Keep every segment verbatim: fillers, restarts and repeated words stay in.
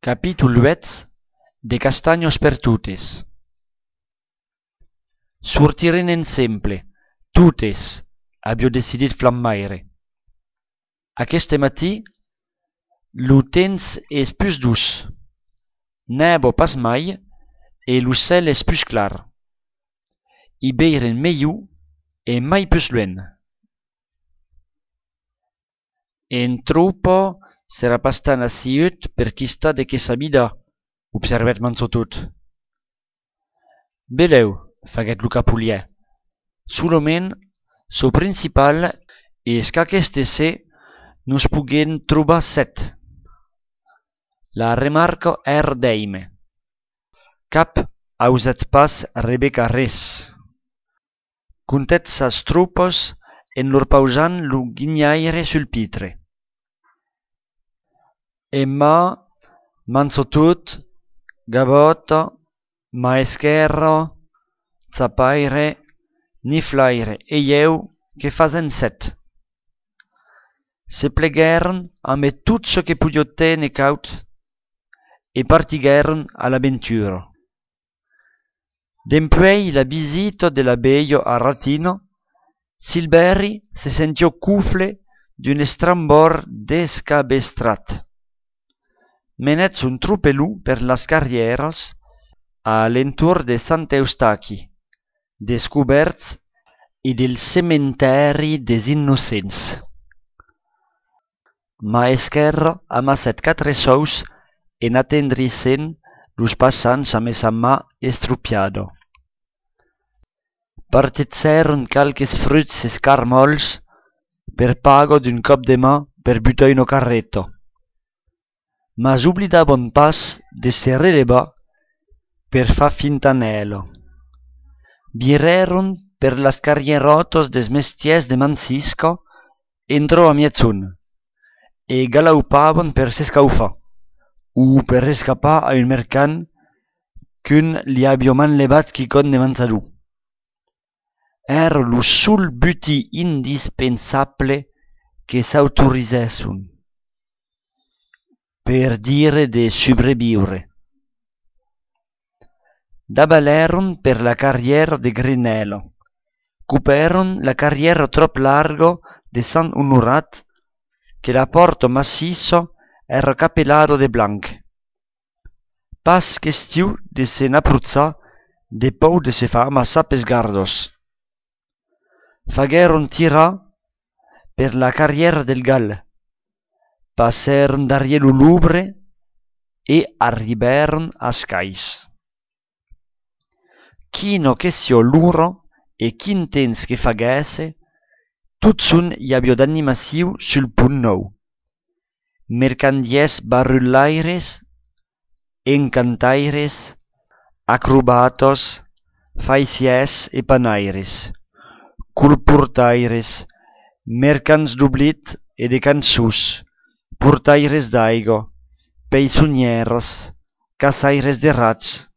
Capítol huit de Castanyos per tutes. Sortiren ensemble, tutes, avió decidit Flammaire. Aquest matí, lo temps és plus dus, nebo pas mai, e lo cel és plus clar. I beiren meiu e mai plus luen. En tropo sera pas tan assiut per quista de que sabida, observet Mansotut. Beleu, faguet lo capulier. Soloment, so principal és qu'aqueste se nos puguen trobar set. La remarca er deime. Cap ausat pas Rebecca res. Contet sas tropos en lor pausant lo guignaire sul pitre. Emma, Mansotut, Gabota, Maesquerro, Zapaire, Niflaire e eu que fazen set. Se plegueren amb tot ce que pudio tene caut e partigueren a l'avventura. Dempuei la visita de la bello a Ratino, Silberry se sentiò cufle d'un estrambor descabestrat. Menet un tropelù per las carrieras a l'entorn de Sant'Eustachi, descoberts e del cementeri des innocents. Maesquerro amasset quatre sous en attendrissent los passants amb sa mà estrupiado. Partezzeron calques fruts escarmols per pago d'un cop de mà per butar in carretto. Mas oblidavon pas de se relevar per fa fintanelo. Vireron per las carrierotos des mestiers de Mancisco entro a mietzun e galaupavon per s'escaufa o per escapar a un mercant qu'un li avió manlevat quicon de Manzalú. Era lo sul buti indispensable que s'autorisessun per dire de sobreviure. Dabaleron per la carriera de Grinelo, cuperon la carriera trop largo de Sant Honorat, que la porto macizo era capellado de blanc. Pas question de se n'appruzar de pou de se fa amassar pes gardos. Fagueron tirar per la carriera del Gal, passeron darriere lo Lubre e arriberon a Scais. Quino che sio luro e quin temps que faguesse, tutsun i avió d'animaciu sul punt nou. Mercandiers barullaires, encantaires, acrobatos, faisiers e panaires, colportaires, mercants d'oblit e de cançús, portaires d'aigo, peisonnieres, caçaires de rats.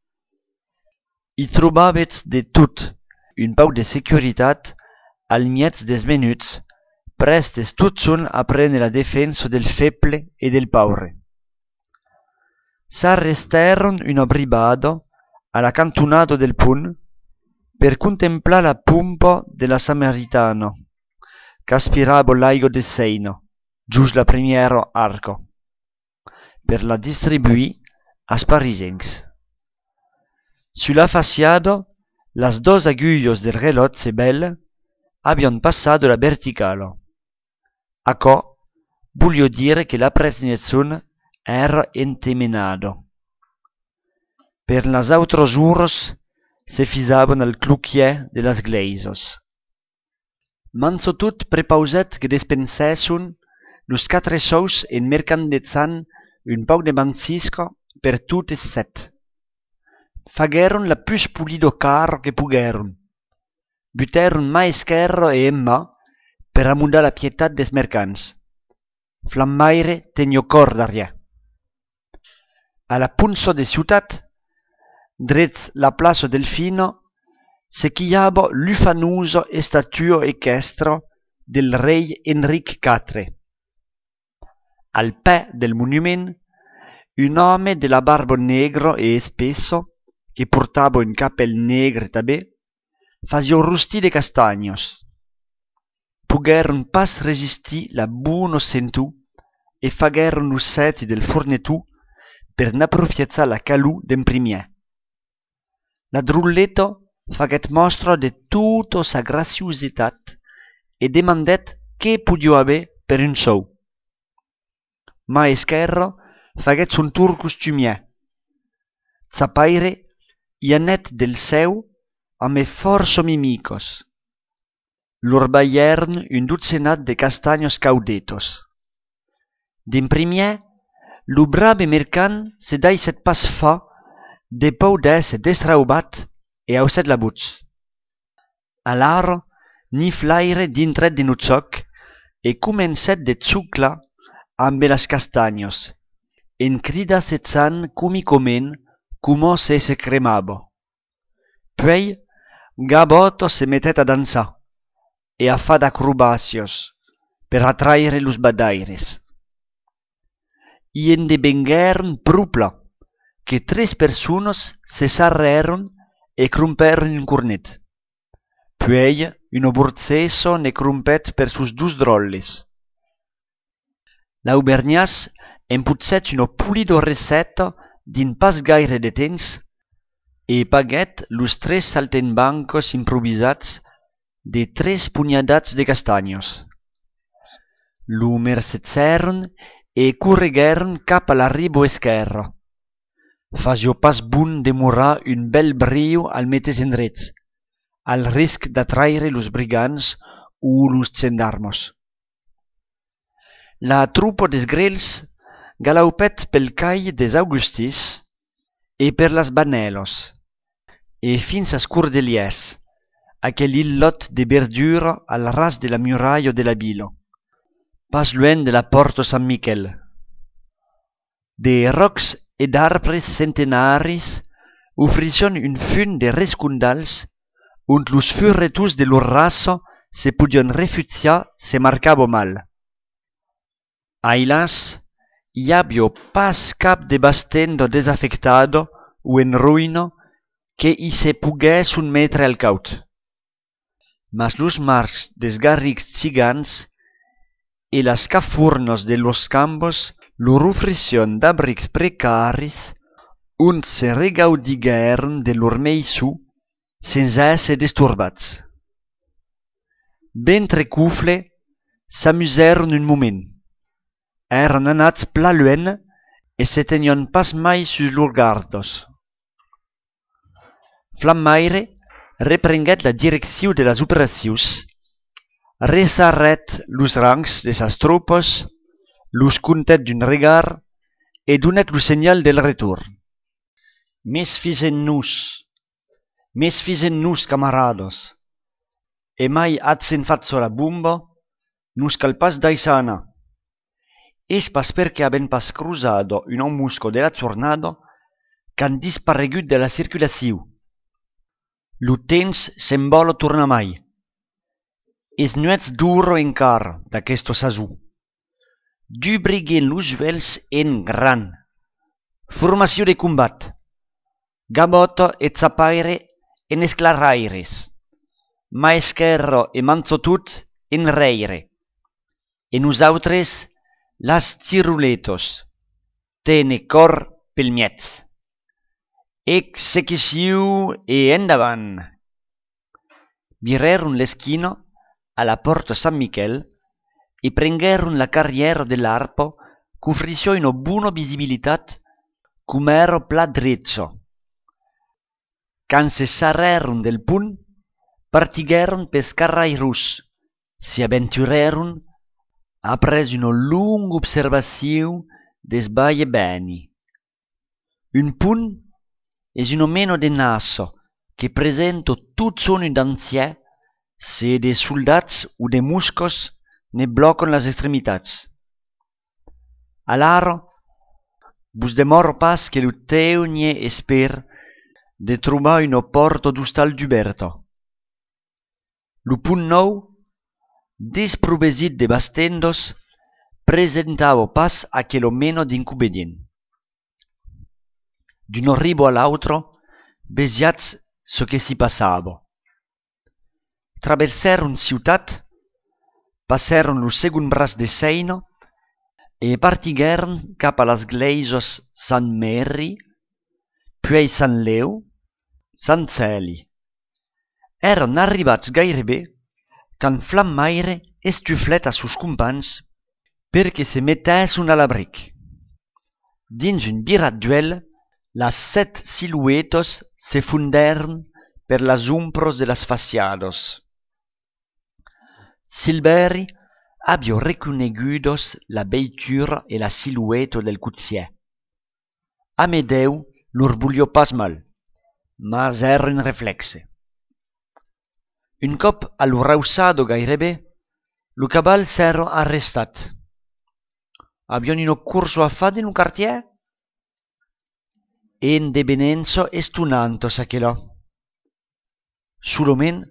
I trobavetz de tot, un pau de securitat al miez des menuts, prestes tutsun a prendre la defensa del feble e del paure. S'arresteron una bribado a la cantonada del punt per contemplar la pompa de la Samaritano, qu'aspirava l'aigo de Seino, just la primiera arco, per la distribuir als parisencs. Sulla faciada, las dos agullos del reloj Sebel habían pasado la verticalo. Acò voglio dire che la presnezzun era entemenado. Per las autros uros se fisavan al cluquier de las gleisos. Mansotut prepauset que despensessun los quatre sous en mercandezzant un pau de Mancisco per tutes set. Fagueron la plus pulido carro que pugueron. Buteron Maesquerro e Emma per amundar la pietat des mercants. Flammaire tenio cor d'arriè. A la punso de ciutat, drets la plaça Delfino, se chiava l'ufanuso estatuo equestro del rei Enric quatre. Al pè del monument, un home de la barba negro e espesso, che portava un capel negre també, fasia rosti de castagnos. Pogueren pas resistir la buona sentù e fagueren lo seti del fornetù per n'approfiazzar la calù d'en primier. La drulletto faguet mostra de tota sa graciositat e demandet che podio haver per un sou. Ma esquerro faguet son tour costumier. Zapaire i anet del seu a me força mimicos. Lor baiern un dutzenat de castagnos caudetos. D'en primier, lo brave mercant se daiset pas fa de pau d'esse destraubat e auset la butz. Alaro, ni flaire dintret de nutzoc e comencet de zucla amb las castagnos, en crida setzan comicoment como se se cremabo. Puei, Gaboto se mettet a dansar e a fa d'acrobacios per attraire los badaires. I en de benguern prupla que tres personas se sarreron e crumperon un cornet. Puei, un oborzeso ne crumpet per sus dus drolles. L'aubergnàs emputzet una pulida recetta din pas gaire de temps e paguet los tres saltenbancos improvisats de tres pugnadats de castagnos. Lo mercezèron e correguèron cap a l'arribo esquerro. Fasio pas bun demorar un bel brio al metes endrets, al risc d'attraire los brigants o los gendarmos. La trupo des grels galaupet pel cai des Augustis e per las Banellos, e fins a Scurdeliès, aquel illot de verdura al ras de la muraille de la vila, pas luen de la porta San Miquel. De rocs e d'arbres centenaris ofricion un fun de rescundals und los furretus de lor raça se podion refuziar se marcabo mal. Ailas, hi habio pas cap de bastendo desafectado o en ruïno que hi se poguessun metre al caut. Mas los marcs des garrics cigans e las cafurnos de los campos lor ofricion d'abrics precaris und se regaudiguèren de lor meissu sense esse disturbats. Bentre cufle s'amusèron un moment. Èran anats pla luen e se tenion pas mai sus lor gardos. Flammaire reprenguet la direcciu de las operacions, resarret los rangs de sas tropos, los contet d'un regard e donet lo senyal del retorn. Mes fisen-nos, mes fisen-nos, camarados, e mai atzen fatzo la bumba, nus cal pas daisana. Es pas perché haben pas cruzado un ammusco de la tornado qu'han disparegut de la circulaciu. Lo temps sembolo torna mai. Es nuets duro encara d'aquesto sasù. Du briguen los vels en gran. Formació de combat. Gaboto e Zapaire en esclaraires. Maesquerro e Manzotut en reire. E nosaltres las ciruletos. Tene cor pel miez. Execució e endavant. Vireron l'esquino a la porta San Miquel e prengueron la carriera dell'arpo qu'ufrició una buona visibilitat cum ero pla dretzo. Can se sarreron del punt, partigueron pes carrairus, si aventureron apres una lunga observació des baie beni. Un punt es un meno de naso che presenta tot son d'ancià se de soldats o de muscos ne blocan las extremitats. Alaro, vos demoro pas que lo teugnie esper de trobar una porta d'hostal d'uberta. Lo punt nou, desprovesit de bastendos, presentava pas aquel meno d'inconvenient. d'un ribo a l'altro, besiats ce que s'hi passava. Traversaron ciutat, passaron lo segon braç de Seina e partigueren cap a las gleisios Sant Mary, puis Sant Leu, Sant Celi. Eren arribats gairebé quand Flammaire estuflet a sus companys perquè se mettessin a l'abric. Dins un birat duel, las set siluetos se funderen per las umbros de las faciados. Silveri abbia reconegudos la beitura e la silueto del cutier. Amedeu lur buliò pas mal, mas eren reflexe. Un cop a lo rausado gairebé, lo cabal s'era arrestat. Avion un curso a fa in un quartier? En debenenzo estunanto s'aquelò. Sulomen,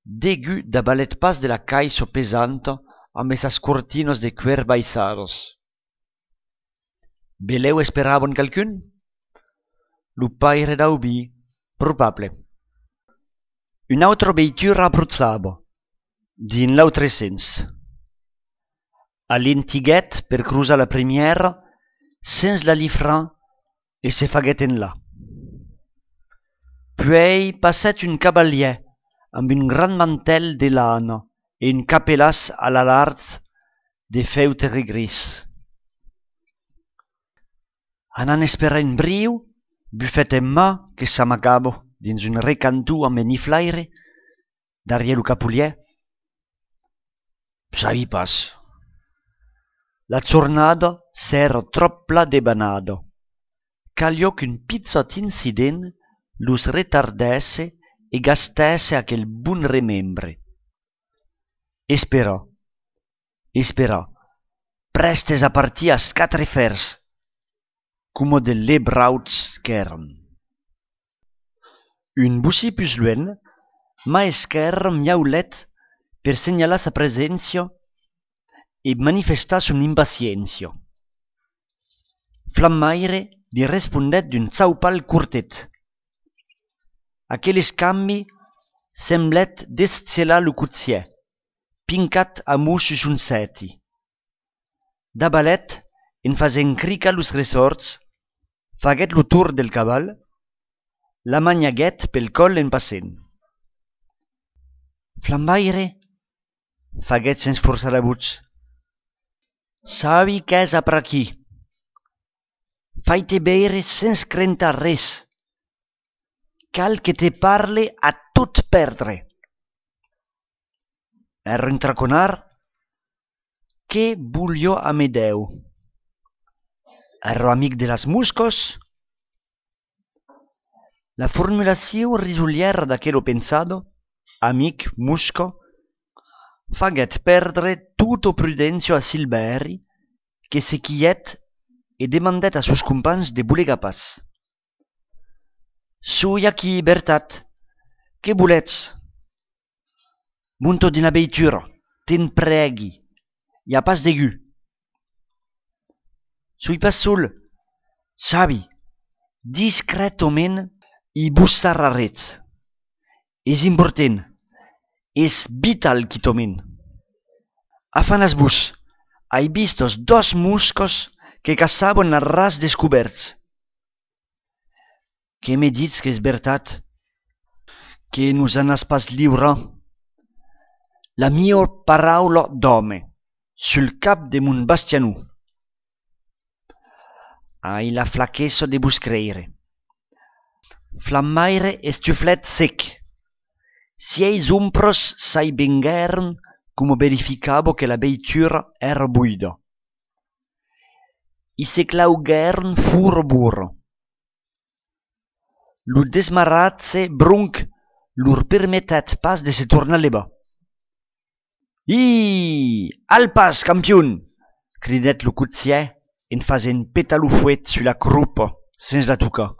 degu da balet pas de la caiso pesanto amb esas cortinos de cuer baisados. Beleu esperavon calcun? Lo paire d'aubi, probable. Un autre veitura abruzzava, din l'autre sens. A l'intiguet per cruzar la première, sens la lifran e se faguet en là. Puis passet un cavalier amb un gran mantel de lana e un capelaç a la large de feutre gris. Anant esperar un briu, bufet en mà que s'amagava dins un recantú amb eniflaire, darrière lo capulier. Sabi pas. La jornada s'era trop pla de banado. Caliò qu'un pizzot incident los retardesse e gastesse aquel bun remembre. Espera, espera, prestes a partir as quatre fers, como de lebrauts qu'eren. Un bussi plus luen, ma esquer miaulet per segnalar sa presència e manifestar son impaciència. Flammaire li respondet d'un zaupal curtet. Aquel escambi semblet descelar lo cutier, pincat a mus sus un seti. Da balet, en fasen crica los resorts, faguet lo tour del cabal, la magnaguet pel col en passent. Flammaire, faguet sens forçar la buig. Sabi qu'ès a per aquí. Fai-te beire sens crentar res. Cal que te parle a tot perdre. Ero un traconar? Què vogliò Amedeu? Ero amic de las muscos? La formulació risuliera d'aquello pensado, amic musco, faguet perdre tutto prudencio a Silveri, que se quiet e demandet a sus companys de bulega pas. Sui aquí, Bertat, què volets? Munto d'una veitura, te'n pregui, hi ha pas d'egu. Sui pas sol, sabi, discretament i bussar a rets. És important, és vital quitomen. Afanas bus, hai vistos dos muscos que caçaven a ras descoberts. Que me dits que és veritat? Que nos en has pas lliure? La mia paraula d'home, sul cap de mon bastianú. Ai la flaquesso de vos creire. Flammaire estuflet sec. Si eis umpros sai bengueren como verificavo que la veitura era buida. I se claugueren furo burro. Lo desmaratze brunc lur permettet pas de se tornar leba. I, al pas, campion! Cridet lo cutier en fasen pétalo fuet sur la croupa, sens la tocar.